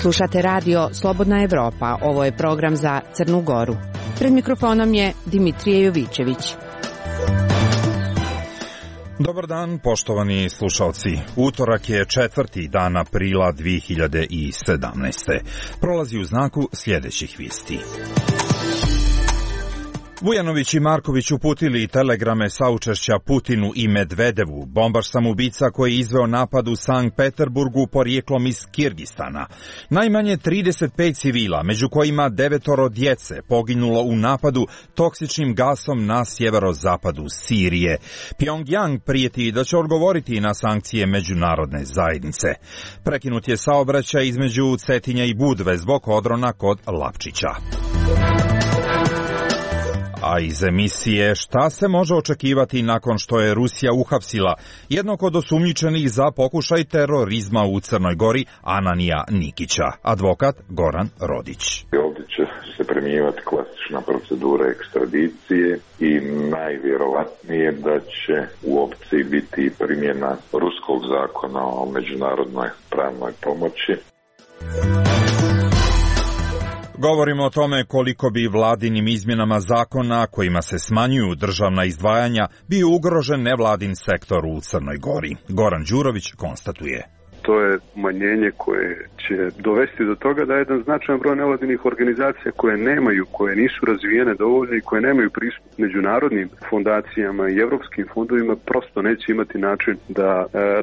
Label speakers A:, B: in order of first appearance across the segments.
A: Slušate radio Slobodna Evropa, ovo je program za Crnu Goru. Pred mikrofonom je Dimitrije Jovićević.
B: Dobar dan, poštovani slušalci. Utorak je 4. dan aprila 2017. Prolazi u znaku sljedećih vijesti. Vujanović i Marković uputili telegrame saučešća Putinu i Medvedevu. Bombaš samoubica koji je izveo napad u Sankt Peterburgu porijeklom iz Kirgistana. Najmanje 35 civila, među kojima 9 djece, poginulo u napadu toksičnim gasom na sjeverozapadu Sirije. Pjongjang prijeti da će odgovoriti na sankcije međunarodne zajednice. Prekinut je saobraćaj između Cetinja i Budve zbog odrona kod Lapčića. A iz emisije šta se može očekivati nakon što je Rusija uhapsila jednog od osumnjičenih za pokušaj terorizma u Crnoj Gori, Ananija Nikića, advokat Goran Rodić.
C: Ovdje će se primjenjivati klasična procedura ekstradicije i najvjerovatnije da će u opciji biti primjena ruskog zakona o međunarodnoj pravnoj pomoći.
B: Govorimo o tome koliko bi vladinim izmjenama zakona kojima se smanjuju državna izdvajanja bio ugrožen nevladin sektor u Crnoj Gori. Goran Đurović konstatuje.
D: To je umanjenje koje će dovesti do toga da jedan značajan broj nevladinih organizacija koje nisu razvijene dovoljno i koje nemaju pristup međunarodnim fondacijama i evropskim fondovima prosto neće imati način da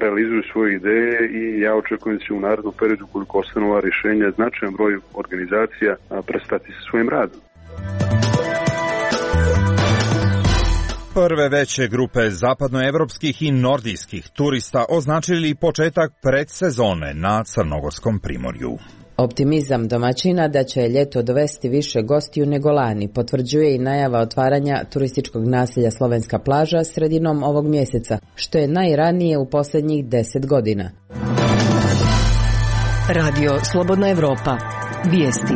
D: realizuju svoje ideje i ja očekujem da će u narednom periodu, koliko ostanu ova rješenja, značajan broj organizacija prestati sa svojim radom.
B: Prve veće grupe zapadnoevropskih i nordijskih turista označili početak predsezone na Crnogorskom primorju.
A: Optimizam domaćina da će ljeto dovesti više gostiju nego lani potvrđuje i najava otvaranja turističkog naselja Slovenska plaža sredinom ovog mjeseca, što je najranije u posljednjih 10 godina.
E: Radio Slobodna Evropa. Vijesti.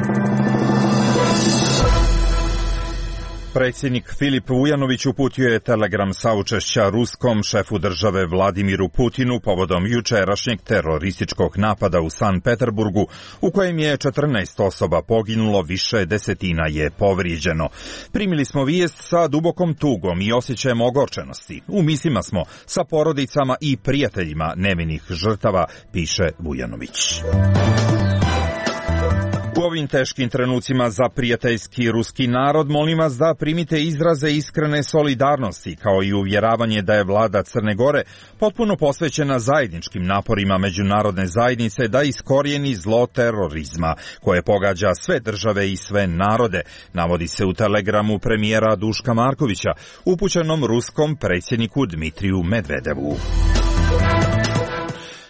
B: Predsjednik Filip Vujanović uputio je telegram saučešća ruskom šefu države Vladimiru Putinu povodom jučerašnjeg terorističkog napada u Sankt Peterburgu, u kojem je 14 osoba poginulo, više desetina je povrijeđeno. Primili smo vijest sa dubokom tugom i osjećajem ogorčenosti. U mislima smo sa porodicama i prijateljima nevinih žrtava, piše Vujanović. U ovim teškim trenucima za prijateljski ruski narod molim vas da primite izraze iskrene solidarnosti, kao i uvjeravanje da je vlada Crne Gore potpuno posvećena zajedničkim naporima međunarodne zajednice da iskorijeni zlo terorizma koje pogađa sve države i sve narode, navodi se u telegramu premijera Duška Markovića upućenom ruskom predsjedniku Dmitriju Medvedevu.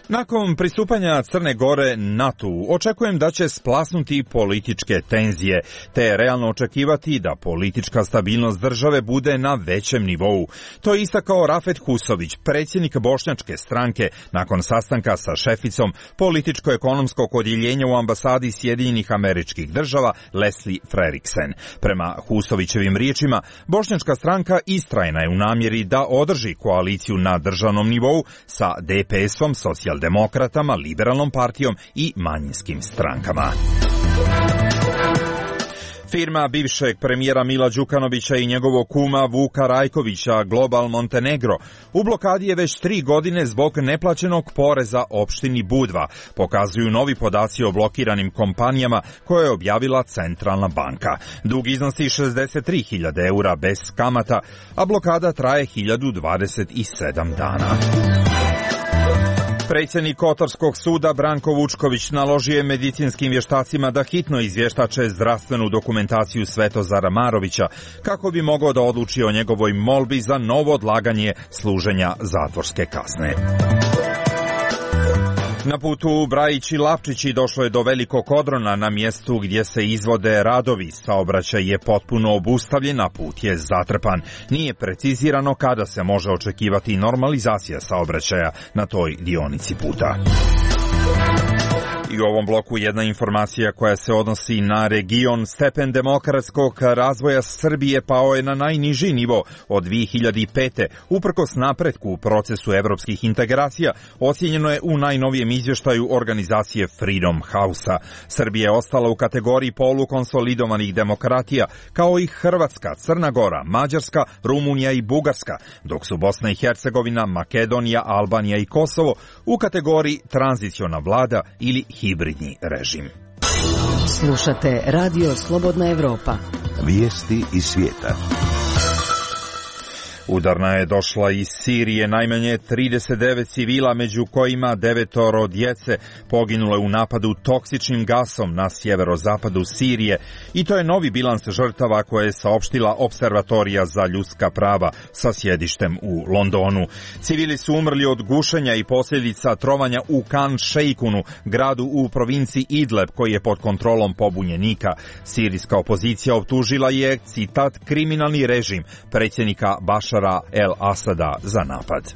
B: Nakon pristupanja Crne Gore NATO-u očekujem da će splasnuti političke tenzije, te je realno očekivati da politička stabilnost države bude na većem nivou. To je istakao Rafet Husović, predsjednik bošnjačke stranke, nakon sastanka sa šeficom političko-ekonomskog odjeljenja u ambasadi Sjedinjenih Američkih Država Leslie Freriksen. Prema Husovićevim riječima, bošnjačka stranka istrajna je u namjeri da održi koaliciju na državnom nivou sa DPS-om, socijaldemokratama, liberalnom partijom i manjinskim strankama. Firma bivšeg premijera Mila Đukanovića i njegovog kuma Vuka Rajkovića, Global Montenegro, u blokadi je već 3 godine zbog neplaćenog poreza opštini Budva, pokazuju novi podaci o blokiranim kompanijama koje je objavila Centralna banka. Dug iznosi 63.000 eura bez kamata, a blokada traje 1027 dana. Predsjednik Kotorskog suda Branko Vučković naložio je medicinskim vještacima da hitno izvještače zdravstvenu dokumentaciju Svetozara Marovića kako bi mogao da odluči o njegovoj molbi za novo odlaganje služenja zatvorske kazne. Na putu Brajić i Lapčići došlo je do velikog odrona na mjestu gdje se izvode radovi. Saobraćaj je potpuno obustavljen, a put je zatrpan. Nije precizirano kada se može očekivati normalizacija saobraćaja na toj dionici puta. I u ovom bloku jedna informacija koja se odnosi na region. Stepen demokratskog razvoja Srbije pao je na najniži nivo od 2005. Uprkos napretku u procesu evropskih integracija, ocijenjeno je u najnovijem izvještaju organizacije Freedom House-a. Srbija je ostala u kategoriji polukonsolidovanih demokratija, kao i Hrvatska, Crna Gora, Mađarska, Rumunija i Bugarska, dok su Bosna i Hercegovina, Makedonija, Albanija i Kosovo u kategoriji tranziciona vlada ili hibridni režim.
E: Slušate Radio Slobodna Evropa.
F: Vijesti iz svijeta.
B: Udarna je došla iz Sirije, najmanje 39 civila, među kojima 9 djece, poginule u napadu toksičnim gasom na sjeverozapadu Sirije, i to je novi bilans žrtava koje je saopštila Observatorija za ljudska prava sa sjedištem u Londonu. Civili su umrli od gušenja i posljedica trovanja u Kan Šeikunu, gradu u provinciji Idleb koji je pod kontrolom pobunjenika. Sirijska opozicija optužila je, citat, kriminalni režim predsjednika Bašara El Asada za napad.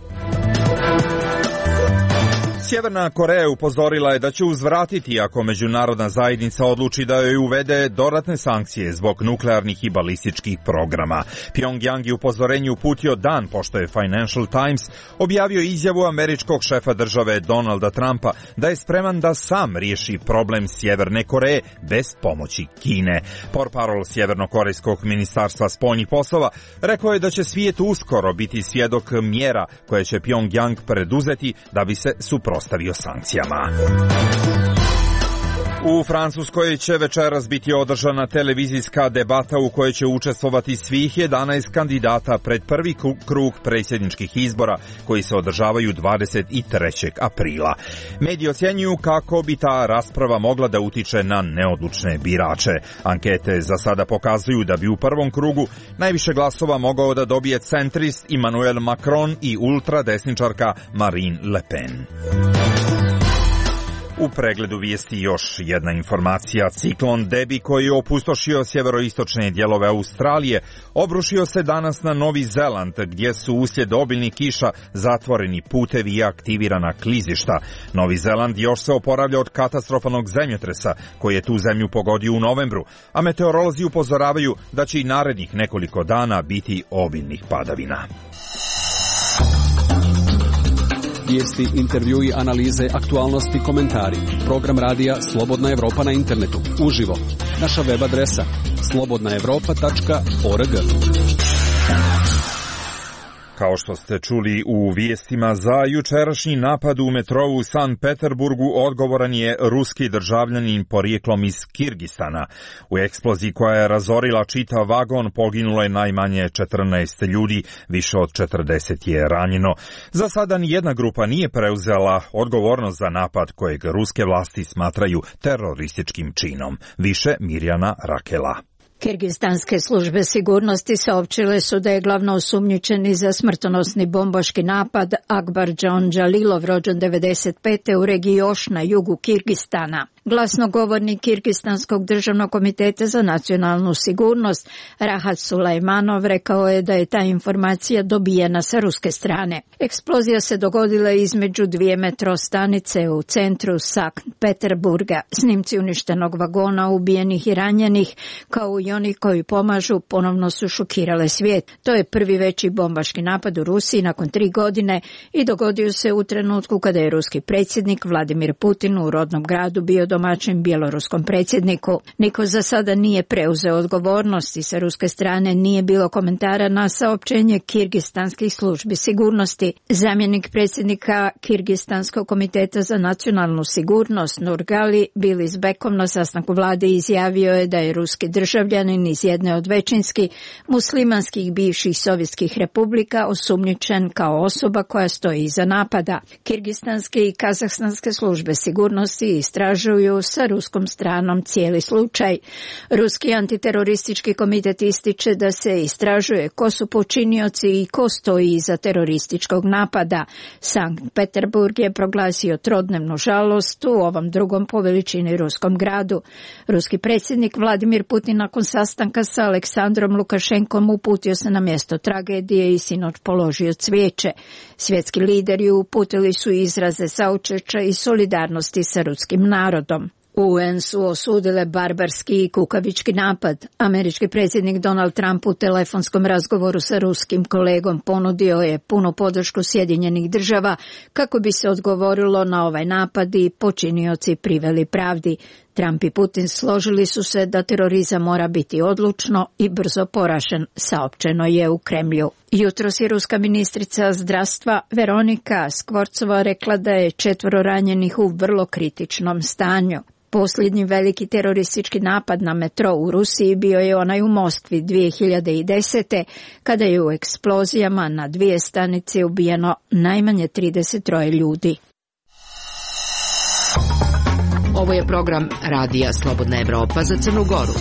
B: Sjeverna Koreja upozorila je da će uzvratiti ako međunarodna zajednica odluči da joj uvede dodatne sankcije zbog nuklearnih i balističkih programa. Pyongyang je upozorenje uputio dan pošto je Financial Times objavio izjavu američkog šefa države Donalda Trumpa da je spreman da sam riješi problem Sjeverne Koreje bez pomoći Kine. Portparol Sjevernokorejskog ministarstva spoljnih poslova rekao je da će svijet uskoro biti svjedok mjera koje će Pyongyang preduzeti da bi se suprotstavio sankcijama. U Francuskoj će večeras biti održana televizijska debata u kojoj će učestvovati svih 11 kandidata pred prvi krug predsjedničkih izbora koji se održavaju 23. aprila. Mediji ocjenjuju kako bi ta rasprava mogla da utiče na neodlučne birače. Ankete za sada pokazuju da bi u prvom krugu najviše glasova mogao da dobije centrist Emmanuel Macron i ultradesničarka Marine Le Pen. U pregledu vijesti još jedna informacija. Ciklon Debi koji je opustošio sjeveroistočne dijelove Australije obrušio se danas na Novi Zeland gdje su uslijed obilnih kiša zatvoreni putevi i aktivirana klizišta. Novi Zeland još se oporavlja od katastrofalnog zemljotresa koji je tu zemlju pogodio u novembru, a meteorolozi upozoravaju da će i narednih nekoliko dana biti obilnih padavina.
G: Vijesti, intervjui, analize, aktualnosti, komentari. Program radija Slobodna Evropa na internetu. Uživo. Naša web adresa slobodnaevropa.org.
B: Kao što ste čuli u vijestima, za jučerašnji napad u metrou u Sankt Peterburgu odgovoran je ruski državljanin porijeklom iz Kirgistana. U eksploziji koja je razorila čitav vagon poginulo je najmanje 14 ljudi, više od 40 je ranjeno. Za sada nijedna grupa nije preuzela odgovornost za napad kojeg ruske vlasti smatraju terorističkim činom. Više Mirjana Rakela.
H: Kirgistanske službe sigurnosti saopćile su da je glavno osumnjičeni za smrtonosni bombaški napad Akbarjon Džalilov, rođen 95. u regiji Još na jugu Kirgistana. Glasnogovornik Kirgistanskog državnog komiteta za nacionalnu sigurnost Rahat Sulejmanov rekao je da je ta informacija dobijena sa ruske strane. Eksplozija se dogodila između dvije metro stanice u centru Sankt Peterburga. Snimci uništenog vagona, ubijenih i ranjenih, kao i oni koji pomažu, ponovno su šokirale svijet. To je prvi veći bombaški napad u Rusiji nakon 3 godine i dogodio se u trenutku kada je ruski predsjednik Vladimir Putin u rodnom gradu bio domaćin bjeloruskom predsjedniku. Niko za sada nije preuzeo odgovornost i sa ruske strane nije bilo komentara na saopćenje kirgistanskih službi sigurnosti. Zamjenik predsjednika Kirgistanskog komiteta za nacionalnu sigurnost Nurgali Bilizbekov na sastanku vlade izjavio je da je ruski državljanin iz jedne od većinski muslimanskih bivših sovjetskih republika osumnjičen kao osoba koja stoji iza napada. Kirgistanske i kazahstanske službe sigurnosti istražuju komentarišu sa ruskom stranom cijeli slučaj. Ruski antiteroristički komitet ističe da se istražuje ko su počinioci i ko stoji iza terorističkog napada. Sankt Peterburg je proglasio trodnevnu žalost u ovom drugom po veličini ruskom gradu. Ruski predsjednik Vladimir Putin nakon sastanka sa Aleksandrom Lukašenkom uputio se na mjesto tragedije i sinoć položio cvijeće. Svjetski lideri uputili su izraze saučešća i solidarnosti sa ruskim narodom. UN su osudile barbarski i kukavički napad. Američki predsjednik Donald Trump u telefonskom razgovoru sa ruskim kolegom ponudio je punu podršku Sjedinjenih država kako bi se odgovorilo na ovaj napad i počinioci priveli pravdi. Trump i Putin složili su se da terorizam mora biti odlučno i brzo poražen, saopćeno je u Kremlju. Jutros je ruska ministrica zdravstva Veronika Skvorcova rekla da je 4 ranjenih u vrlo kritičnom stanju. Posljednji veliki teroristički napad na metro u Rusiji bio je onaj u Moskvi 2010. kada je u eksplozijama na 2 stanice ubijeno najmanje 33 ljudi.
E: Ovo je program Radija Slobodna Evropa za Crnu Goru.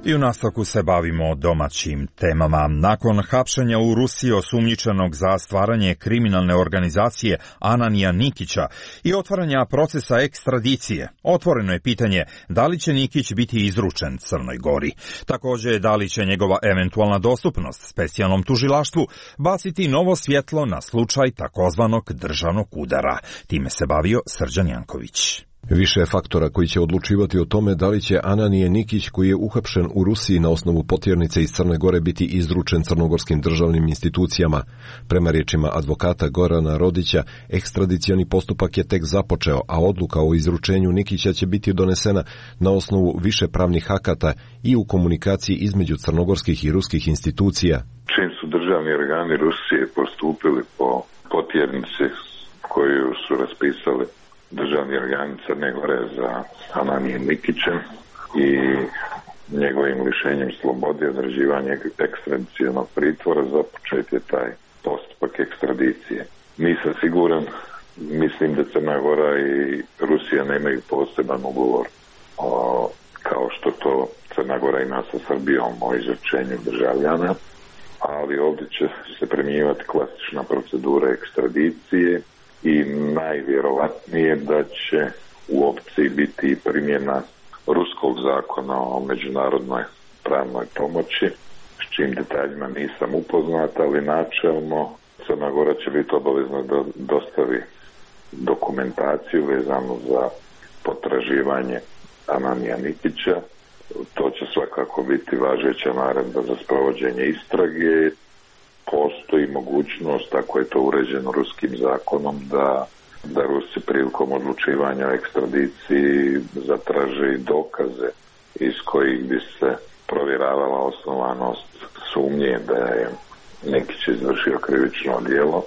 B: I u nastavku se bavimo domaćim temama. Nakon hapšenja u Rusiji osumnjičenog za stvaranje kriminalne organizacije Ananija Nikića i otvaranja procesa ekstradicije, otvoreno je pitanje da li će Nikić biti izručen Crnoj Gori. Također, da li će njegova eventualna dostupnost specijalnom tužilaštvu baciti novo svjetlo na slučaj takozvanog državnog udara. Time se bavio Srđan Janković.
I: Više je faktora koji će odlučivati o tome da li će Ananije Nikić, koji je uhapšen u Rusiji na osnovu potjernice iz Crne Gore, biti izručen crnogorskim državnim institucijama. Prema riječima advokata Gorana Rodića, ekstradicioni postupak je tek započeo, a odluka o izručenju Nikića će biti donesena na osnovu više pravnih akata i u komunikaciji između crnogorskih i ruskih institucija.
C: Čim su državni organi Rusije postupili po potjernici koju su raspisali državni organi Crne Gore za Ananijem Nikićem i njegovim lišenjem slobode i određivanje ekstradicionog pritvora, započet je taj postupak ekstradicije. Nisam siguran, mislim da Crna Gora i Rusija nemaju poseban ugovor kao što to Crna Gora ima sa Srbijom o izručenju državljana, ali ovdje će se primjenjivati klasična procedura ekstradicije i najvjerovatnije da će u opciji biti primjena ruskog zakona o međunarodnoj pravnoj pomoći, s čim detaljima nisam upoznat, ali načelno Crna Gora će biti obavezna da dostavi dokumentaciju vezanu za potraživanje Ananija Nikića. To će svakako biti važeća naredba za sprovođenje istrage. Postoji mogućnost, ako je to uređeno ruskim zakonom, da Rusi prilikom odlučivanja o ekstradiciji zatraže i dokaze iz kojih bi se provjeravala osnovanost sumnje da je Nikić izvršio krivično djelo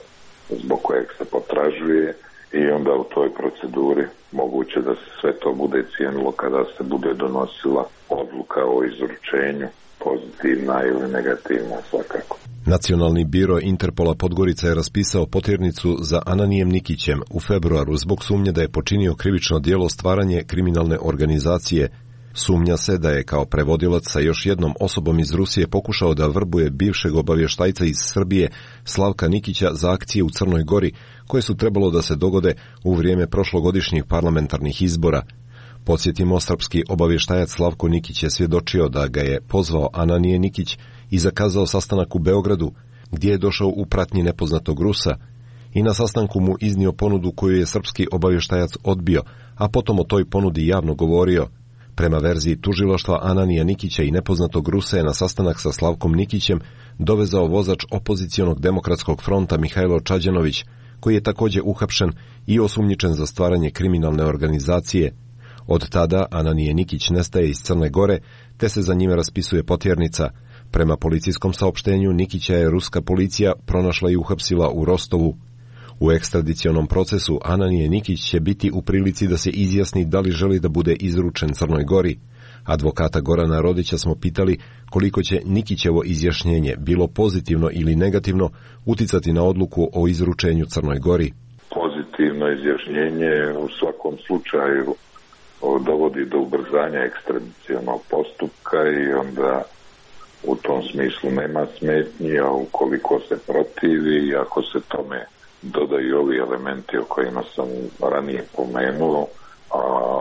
C: zbog kojeg se potražuje, i onda u toj proceduri moguće da se sve to bude cijenilo kada se bude donosila odluka o izručenju, pozitivna ili negativna svakako.
I: Nacionalni biro Interpola Podgorica je raspisao potjernicu za Ananijem Nikićem u februaru zbog sumnje da je počinio krivično djelo stvaranje kriminalne organizacije. Sumnja se da je kao prevodilac sa još jednom osobom iz Rusije pokušao da vrbuje bivšeg obavještajca iz Srbije Slavka Nikića za akcije u Crnoj Gori, koje su trebalo da se dogode u vrijeme prošlogodišnjih parlamentarnih izbora. Podsjetimo, srpski obavještajac Slavko Nikić je svjedočio da ga je pozvao Ananije Nikić i zakazao sastanak u Beogradu, gdje je došao u pratnji nepoznatog Rusa, i na sastanku mu iznio ponudu koju je srpski obavještajac odbio, a potom o toj ponudi javno govorio. Prema verziji tužilaštva, Ananija Nikića i nepoznatog Rusa je na sastanak sa Slavkom Nikićem dovezao vozač opozicionog demokratskog fronta Mihajlo Čađanović, koji je također uhapšen i osumnjičen za stvaranje kriminalne organizacije. Od tada Ananije Nikić nestaje iz Crne Gore, te se za njime raspisuje potjernica. Prema policijskom saopštenju, Nikića je ruska policija pronašla i uhapsila u Rostovu. U ekstradicionom procesu Ananije Nikić će biti u prilici da se izjasni da li želi da bude izručen Crnoj Gori. Advokata Gorana Rodića smo pitali koliko će Nikićevo izjašnjenje, bilo pozitivno ili negativno, uticati na odluku o izručenju Crnoj Gori.
C: Pozitivno izjašnjenje u svakom slučaju dovodi do ubrzanja ekstradicionog postupka i onda u tom smislu nema smetnji, a ukoliko se protivi i ako se tome dodaju ovi elementi o kojima sam ranije pomenuo, a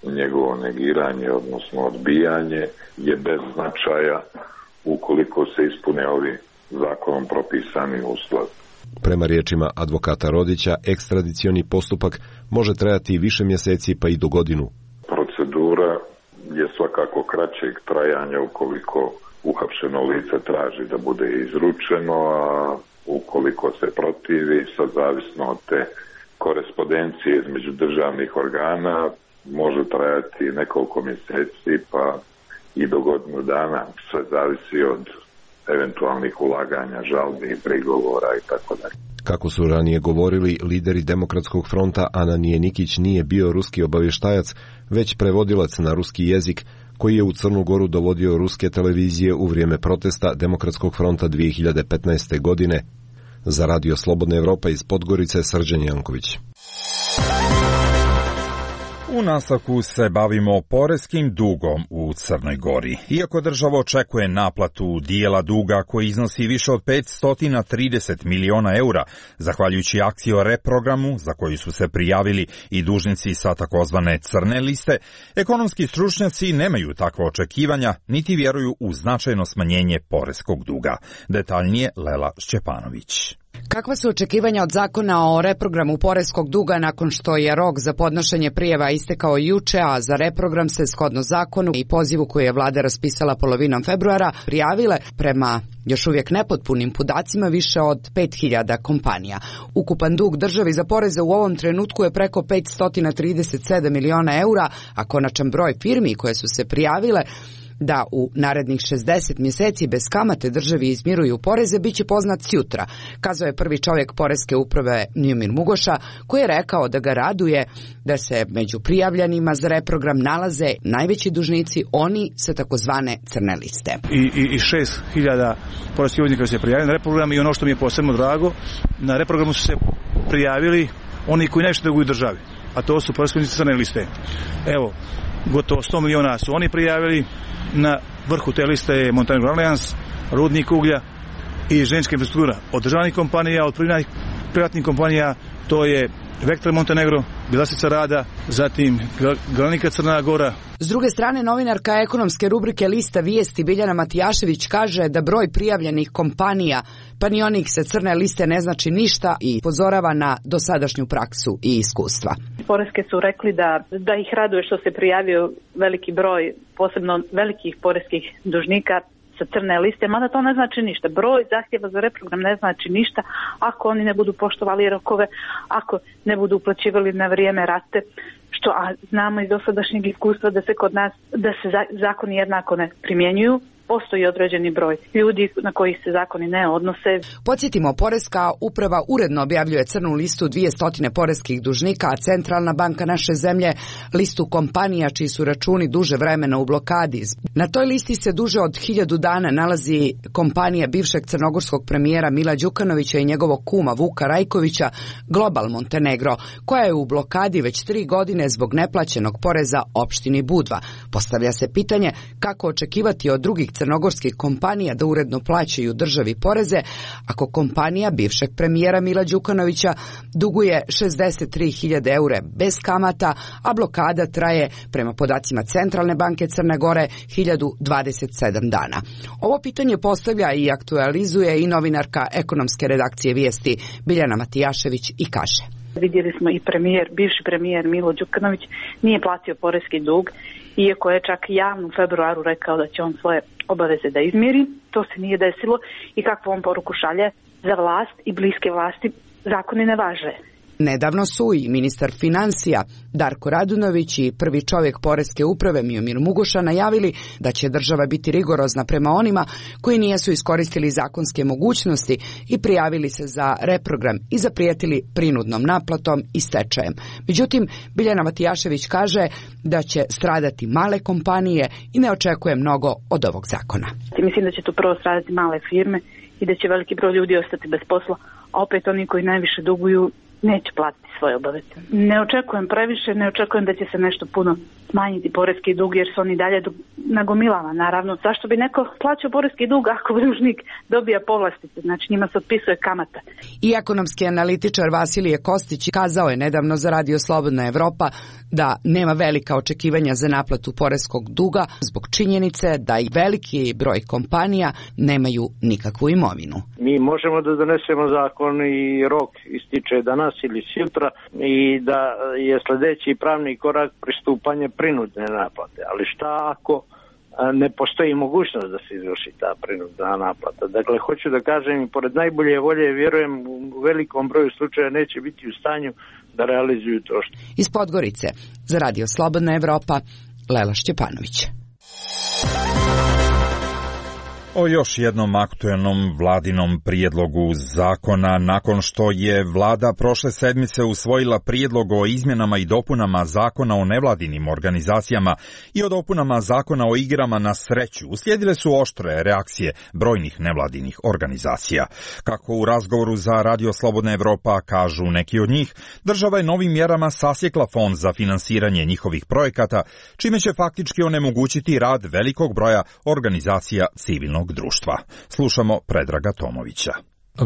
C: njegovo negiranje, odnosno odbijanje, je bez značaja ukoliko se ispune ovi zakonom propisani uslovi.
I: Prema riječima advokata Rodića, ekstradicioni postupak može trajati više mjeseci pa i do godinu.
C: Procedura je svakako kraćeg trajanja ukoliko uhapšeno lice traži da bude izručeno, a ukoliko se protivi, sad zavisno od te korespondencije između državnih organa, može trajati nekoliko mjeseci pa i do godinu dana. Sve zavisi od eventualnih ulaganja, žalbi, prigovora i tako dalje.
I: Kako su ranije govorili, lideri Demokratskog fronta Ananije Nikić nije bio ruski obavještajac, već prevodilac na ruski jezik, koji je u Crnu Goru dovodio ruske televizije u vrijeme protesta Demokratskog fronta 2015. godine. Za Radio Slobodna Evropa iz Podgorice, Srđan Janković.
B: U nastavku se bavimo poreskim dugom u Crnoj Gori. Iako država očekuje naplatu dijela duga koji iznosi više od 530 miliona eura, zahvaljujući akciji o reprogramu za koju su se prijavili i dužnici sa takozvane crne liste, ekonomski stručnjaci nemaju takva očekivanja niti vjeruju u značajno smanjenje poreskog duga. Detaljnije Lela Šćepanović.
J: Kakva su očekivanja od zakona o reprogramu poreskog duga nakon što je rok za podnošenje prijava istekao juče, a za reprogram se shodno zakonu i pozivu koji je vlada raspisala polovinom februara prijavile prema još uvijek nepotpunim podacima više od 5000 kompanija. Ukupan dug državi za poreze u ovom trenutku je preko 537 miliona eura, a konačan broj firmi koje su se prijavile da u narednih 60 mjeseci bez kamate državi izmiruju poreze biće poznat sjutra, kazao je prvi čovjek poreske uprave Njumir Mugoša, koji je rekao da ga raduje da se među prijavljanima za reprogram nalaze najveći dužnici, oni sa takozvane crne liste.
K: I 6000 poreskih obveznika se prijavili na reprogram i ono što mi je posebno drago, na reprogramu su se prijavili oni koji najviše duguju državi, a to su poreski obveznici crne liste. Evo, gotovo 100 miliona su oni prijavili. Na vrhu te liste je Montenegro Alliance, rudnik uglja i željeznička infrastruktura. Od državnih kompanija, od privatnih kompanija, to je Vektor Montenegro, Bjelasica Rada, zatim Galenika Crna Gora.
J: S druge strane, novinarka ekonomske rubrike Lista vijesti Biljana Matijašević kaže da broj prijavljenih kompanija, pa ni onih sa crne liste, ne znači ništa i upozorava na dosadašnju praksu i iskustva.
L: Poreske su rekli da ih raduje što se prijavio veliki broj, posebno velikih poreskih dužnika sa crne liste, mada to ne znači ništa. Broj zahtjeva za reprogram ne znači ništa ako oni ne budu poštovali rokove, ako ne budu uplaćivali na vrijeme rate, što znamo iz dosadašnjeg iskustva da se kod nas zakoni jednako ne primjenjuju. Postoji određeni broj ljudi na kojih se zakoni ne odnose.
J: Podsjetimo, poreska uprava uredno objavljuje crnu listu 200 poreskih dužnika, a Centralna banka naše zemlje listu kompanija čiji su računi duže vremena u blokadi. Na toj listi se duže od 1000 dana nalazi kompanija bivšeg crnogorskog premijera Mila Đukanovića i njegovog kuma Vuka Rajkovića, Global Montenegro, koja je u blokadi već 3 godine zbog neplaćenog poreza opštini Budva. Postavlja se pitanje kako očekivati od drugih crnogorskih kompanija da uredno plaćaju državi poreze ako kompanija bivšeg premijera Mila Đukanovića duguje 63.000 eura bez kamata, a blokada traje, prema podacima Centralne banke Crne Gore, 1027 dana. Ovo pitanje postavlja i aktualizuje i novinarka ekonomske redakcije Vijesti Biljana Matijašević i kaže:
L: Vidjeli smo i bivši premijer Milo Đukanović nije platio poreski dug, iako je čak javno u februaru rekao da će on svoje obaveze da izmiri. To se nije desilo i kakvu on poruku šalje za vlast i bliske vlasti, zakoni ne važe.
J: Nedavno su i ministar financija Darko Radunović i prvi čovjek poreske uprave Njumir Mugoša najavili da će država biti rigorozna prema onima koji nisu iskoristili zakonske mogućnosti i prijavili se za reprogram i zaprijetili prinudnom naplatom i stečajem. Međutim, Biljana Matijašević kaže da će stradati male kompanije i ne očekuje mnogo od ovog zakona.
L: Mislim da će tu prvo stradati male firme i da će veliki broj ljudi ostati bez posla, a opet oni koji najviše duguju neće platiti svoje obaveze. Ne očekujem previše, ne očekujem da će se nešto puno smanjiti poreski dug jer se on i dalje nagomilava. Naravno, zašto bi neko plaćao poreski dug ako dužnik dobija povlastice, znači njima se otpisuje kamata.
J: I ekonomski analitičar Vasilije Kostić kazao je nedavno za Radio Slobodna Evropa da nema velika očekivanja za naplatu poreskog duga zbog činjenice da i veliki broj kompanija nemaju nikakvu imovinu.
M: Mi možemo da donesemo zakon i rok ističe danas ili sutra i da je sljedeći pravni korak pristupanje prinudne naplate. Ali šta ako ne postoji mogućnost da se izvrši ta prinudna naplata? Dakle, hoću da kažem, pored najbolje volje, vjerujem, u velikom broju slučaja neće biti u stanju da realizuju to što.
J: Iz Podgorice, za Radio Slobodna Evropa, Lela Šćepanović.
B: O još jednom aktuelnom vladinom prijedlogu zakona nakon što je vlada prošle sedmice usvojila prijedlog o izmjenama i dopunama zakona o nevladinim organizacijama i o dopunama zakona o igrama na sreću, uslijedile su oštre reakcije brojnih nevladinih organizacija. Kako u razgovoru za Radio Slobodna Evropa kažu neki od njih, država je novim mjerama sasjekla fond za finansiranje njihovih projekata, čime će faktički onemogućiti rad velikog broja organizacija civilnog društva. Slušamo Predraga Tomovića.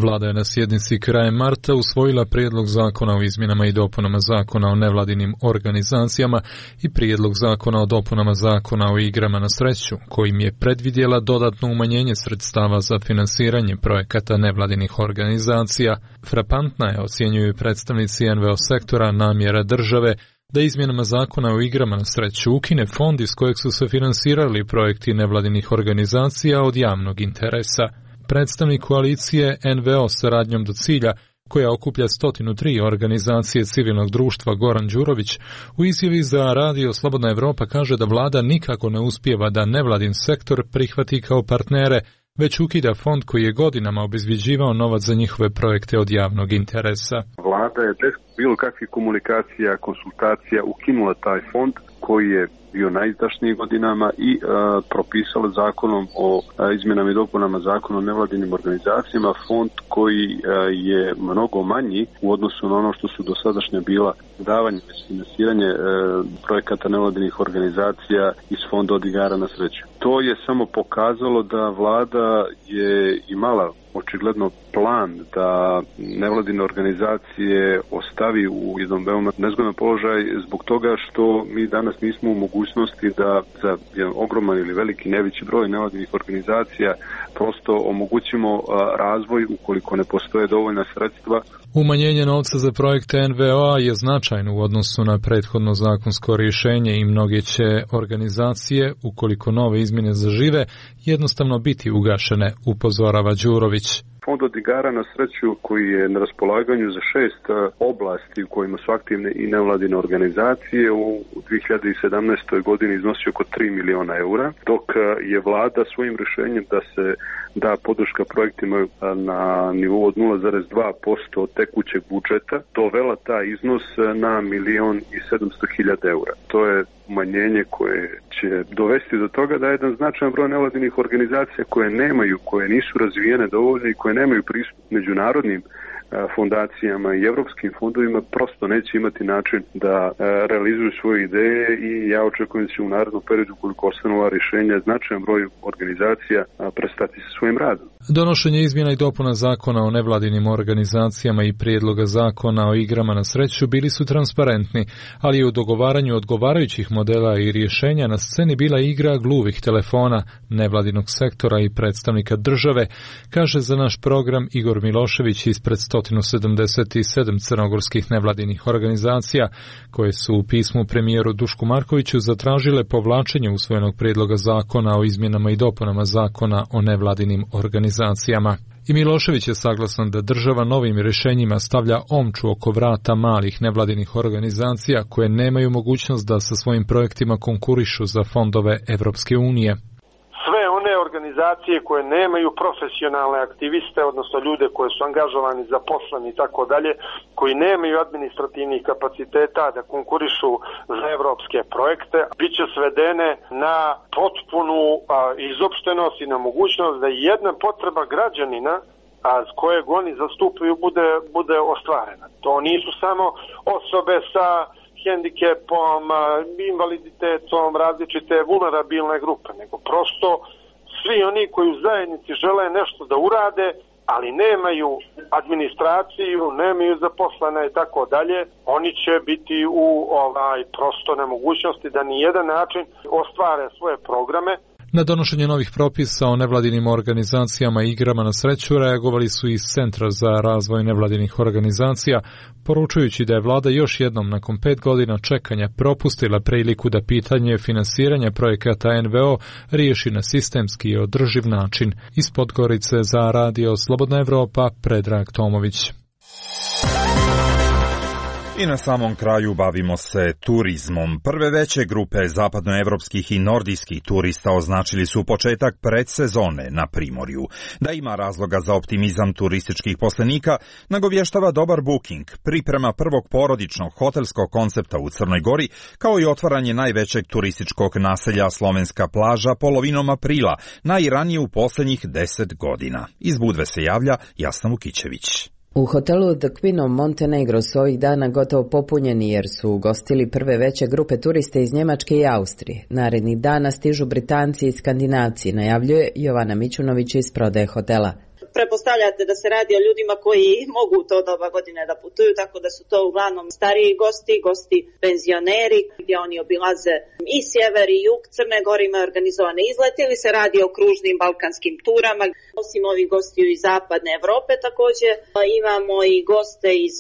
N: Vlada je na sjednici krajem marta usvojila prijedlog zakona o izmjenama i dopunama zakona o nevladinim organizacijama i prijedlog zakona o dopunama zakona o igrama na sreću, kojim je predvidjela dodatno umanjenje sredstava za finansiranje projekata nevladinih organizacija. Frapantna je, ocjenjuju predstavnici NVO sektora, namjera države da izmjenama zakona o igrama na sreću ukine fond iz kojeg su se finansirali projekti nevladinih organizacija od javnog interesa. Predstavnik koalicije NVO saradnjom do cilja, koja okuplja 103 organizacije civilnog društva, Goran Đurović, u izjavi za Radio Slobodna Evropa kaže da vlada nikako ne uspijeva da nevladin sektor prihvati kao partnere, već ukida fond koji je godinama obezvjeđivao novac za njihove projekte od javnog interesa.
D: Vlada je bez bilo kakvih komunikacija, konsultacija ukinula taj fond koji je bio najizdašniji godinama i propisala zakonom o izmjenama i dopunama zakona o nevladinim organizacijama fond koji je mnogo manji u odnosu na ono što su dosadašnja bila davanje i finansiranje projekata nevladinih organizacija iz fonda od igara na sreću. To je samo pokazalo da vlada je imala očigledno plan da nevladine organizacije ostavi u jednom veoma nezgodan položaj zbog toga što mi danas nismo u mogućnosti da za jedan ogroman ili veliki neveći broj nevladinih organizacija prosto omogućimo razvoj ukoliko ne postoje dovoljna sredstva.
N: Umanjenje novca za projekte NVO je značajno u odnosu na prethodno zakonsko rješenje i mnoge će organizacije, ukoliko nove izmjene zažive, jednostavno biti ugašene, upozorava Đurović.
D: Fond od igara na sreću koji je na raspolaganju za 6 oblasti u kojima su aktivne i nevladine organizacije u 2017. godini iznosi oko 3 miliona eura, dok je vlada svojim rješenjem da se da podrška projektima na nivou od 0,2% tekućeg budžeta dovela taj iznos na 1.700.000 eura. To je umanjenje koje će dovesti do toga da jedan značajan broj nevladinih organizacija koje nisu razvijene dovoljno i koje nemaju pristup međunarodnim fondacijama i evropskim fondovima prosto neće imati način da realizuju svoje ideje i ja očekujem da će u narednom periodu, koliko ostanu ova rješenja, značajan broj organizacija prestati sa svojim radom.
N: Donošenje izmjena i dopuna zakona o nevladinim organizacijama i prijedloga zakona o igrama na sreću bili su transparentni, ali je u dogovaranju odgovarajućih modela i rješenja na sceni bila igra gluvih telefona, nevladinog sektora i predstavnika države, kaže za naš program Igor Milošević ispred 177 crnogorskih nevladinih organizacija, koje su u pismu premijeru Dušku Markoviću zatražile povlačenje usvojenog prijedloga zakona o izmjenama i dopunama zakona o nevladinim organizacijama. I Milošević je saglasan da država novim rješenjima stavlja omču oko vrata malih nevladinih organizacija koje nemaju mogućnost da sa svojim projektima konkurišu za fondove Evropske unije.
O: Sve one organizacije koje nemaju profesionalne aktiviste, odnosno ljude koji su angažovani, zaposleni i tako dalje, koji nemaju administrativnih kapaciteta da konkurišu za evropske projekte, bit će svedene na potpunu izopštenost i na mogućnost da jedna potreba građanina kojeg oni zastupaju bude ostvarena. To nisu samo osobe sa hendikepom, invaliditetom, različite vulnerabilne grupe, nego prosto svi oni koji u zajednici žele nešto da urade, ali nemaju administraciju, nemaju zaposlene i tako dalje, oni će biti u prosto nemogućnosti da ni jedan način ostvare svoje programe.
N: Na donošenje novih propisa o nevladinim organizacijama i igrama na sreću reagovali su iz Centra za razvoj nevladinih organizacija, poručujući da je vlada još jednom nakon 5 godina čekanja propustila priliku da pitanje finansiranja projekata NVO riješi na sistemski i održiv način. Iz Podgorice za Radio Slobodna Evropa, Predrag Tomović.
B: I na samom kraju bavimo se turizmom. Prve veće grupe zapadnoevropskih i nordijskih turista označili su početak predsezone na Primorju. Da ima razloga za optimizam turističkih poslenika, nagovještava dobar booking, priprema prvog porodičnog hotelskog koncepta u Crnoj Gori, kao i otvaranje najvećeg turističkog naselja Slovenska plaža polovinom aprila, najranije u posljednjih 10 godina. Iz Budve se javlja Jasna Vukićević.
A: U hotelu The Queen of Montenegro su ovih dana gotovo popunjeni jer su ugostili prve veće grupe turiste iz Njemačke i Austrije. Narednih dana stižu Britanci i Skandinavci, najavljuje Jovana Mićunović iz prodaje hotela.
P: Pretpostavljate da se radi o ljudima koji mogu u to doba godine da putuju, tako da su to uglavnom stariji gosti penzioneri, gdje oni obilaze i sjever i jug Crne Gore, imaju organizovane izlete ili se radi o kružnim balkanskim turama. Osim ovih gostiju iz zapadne Evrope također imamo i goste iz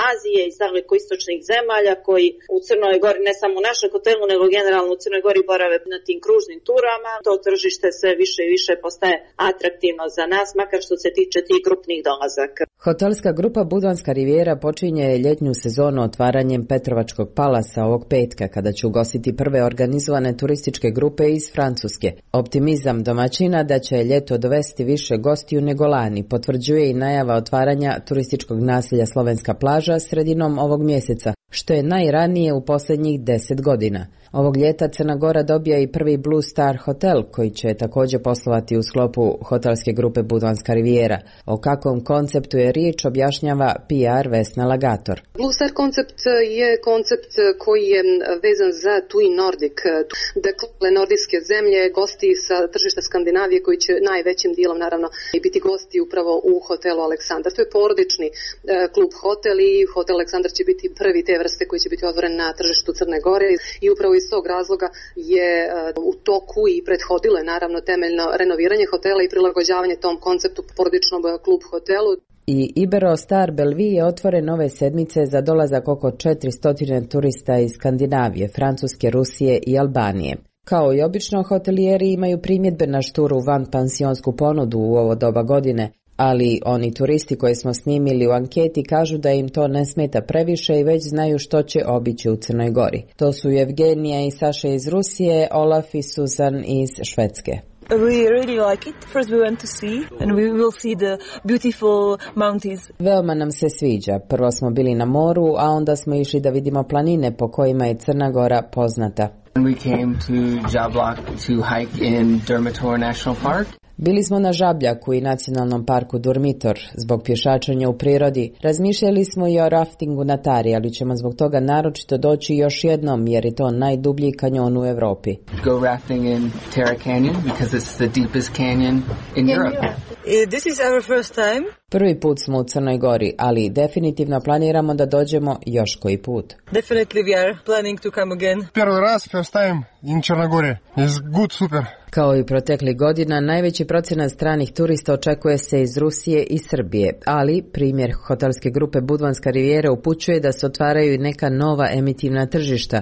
P: Azije, iz daleko-istočnih zemalja koji u Crnoj Gori, ne samo u našem hotelu, nego generalno u Crnoj Gori borave na tim kružnim turama. To tržište sve više i više postaje atraktivno za nas, makar što se tiče tih grupnih dolazaka.
A: Hotelska grupa Budvanska rivijera počinje ljetnju sezonu otvaranjem Petrovačkog palasa ovog petka, kada će ugostiti prve organizovane turističke grupe iz Francuske. Optimizam domaćina da će ljeto dovesti više gostiju nego lani potvrđuje i najava otvaranja turističkog naselja Slovenska plaža sredinom ovog mjeseca, što je najranije u posljednjih 10 godina. Ovog ljeta Crna Gora dobija i prvi Blue Star hotel, koji će također poslovati u sklopu hotelske grupe Budvanska rivijera. O kakvom konceptu je riječ objašnjava PR Vesna Lagator.
Q: Blue Star koncept je koncept koji je vezan za TUI Nordic. Dakle, nordijske zemlje, gosti sa tržišta Skandinavije koji će najvećim dijelom naravno i biti gosti upravo u hotelu Aleksandar. To je porodični klub hotel i hotel Aleksandar će biti prvi te vrste koji će biti otvoren na tržištu Crne Gore i upravo iz tog razloga je u toku i prethodilo je naravno temeljno renoviranje hotela i prilagođavanje tom konceptu porodičnom klub hotelu.
A: I Iberostar Bellevue je otvoren ove sedmice za dolazak oko 400 turista iz Skandinavije, Francuske, Rusije i Albanije. Kao i obično, hotelijeri imaju primjedbe na šturu vanpansionsku ponudu u ovo doba godine, ali oni turisti koje smo snimili u anketi kažu da im to ne smeta previše i već znaju što će obići u Crnoj Gori. To su Evgenija i Saša iz Rusije, Olaf i Susan iz Švedske.
R: We really like it. First we went to see and we will see the beautiful mountains.
A: Veoma nam se sviđa. Prvo smo bili na moru, a onda smo išli da vidimo planine po kojima je Crna Gora poznata.
S: We came to Žabljak to hike in Durmitor National Park.
A: Bili smo na Žabljaku i nacionalnom parku Durmitor. Zbog pješačenja u prirodi razmišljali smo i o raftingu na Tari, ali ćemo zbog toga naročito doći još jednom, jer je to najdublji kanjon u Evropi.
S: Go rafting in Terra Canyon because it's the deepest canyon in Europe.
R: This is our first time.
A: Prvi put smo u Crnoj Gori, ali definitivno planiramo da dođemo još koji put.
R: Definitely we are planning to come again.
T: Prvi raz, first time in Crnoj Gori. It's good, super.
A: Kao i proteklih godina, najveći procenat stranih turista očekuje se iz Rusije i Srbije, ali primjer hotelske grupe Budvanska rivijera upućuje da se otvaraju i neka nova emitivna tržišta.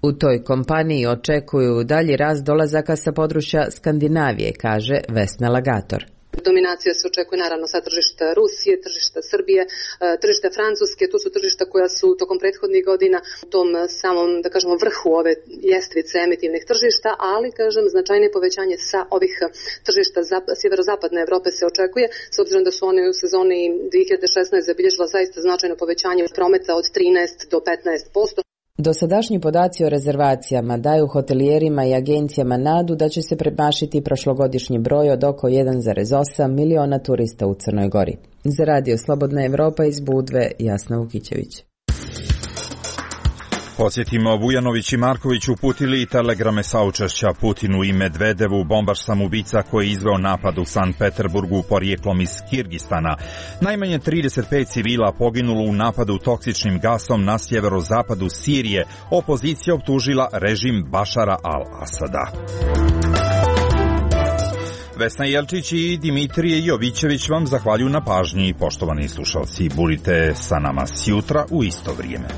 A: U toj kompaniji očekuju dalji rast dolazaka sa područja Skandinavije, kaže Vesna Lagator.
Q: Dominacija se očekuje naravno sa tržišta Rusije, tržišta Srbije, tržišta Francuske, tu su tržišta koja su tokom prethodnih godina u tom samom, da kažemo, vrhu ove ljestvice emitivnih tržišta, ali, kažem, značajne povećanje sa ovih tržišta sjeverozapadne Evrope se očekuje, s obzirom da su one u sezoni 2016 zabilježila zaista značajno povećanje prometa od 13 do 15%.
A: Dosadašnji podaci o rezervacijama daju hotelijerima i agencijama nadu da će se premašiti prošlogodišnji broj od oko 1,8 miliona turista u Crnoj Gori. Za Radio Slobodna Evropa iz Budve, Jasna Vukićević.
B: Podsjetimo, Vujanović i Marković uputili telegrame saučešća Putinu i Medvedevu, bombaš samoubica koji je izveo napad u Sankt Peterburgu porijeklom iz Kirgistana. Najmanje 35 civila poginulo u napadu toksičnim gasom na sjeverozapadu Sirije. Opozicija optužila režim Bašara al-Asada. Vesna Jelčić i Dimitrije Jovićević vam zahvaljuju na pažnji. Poštovani slušalci, budite sa nama sjutra u isto vrijeme.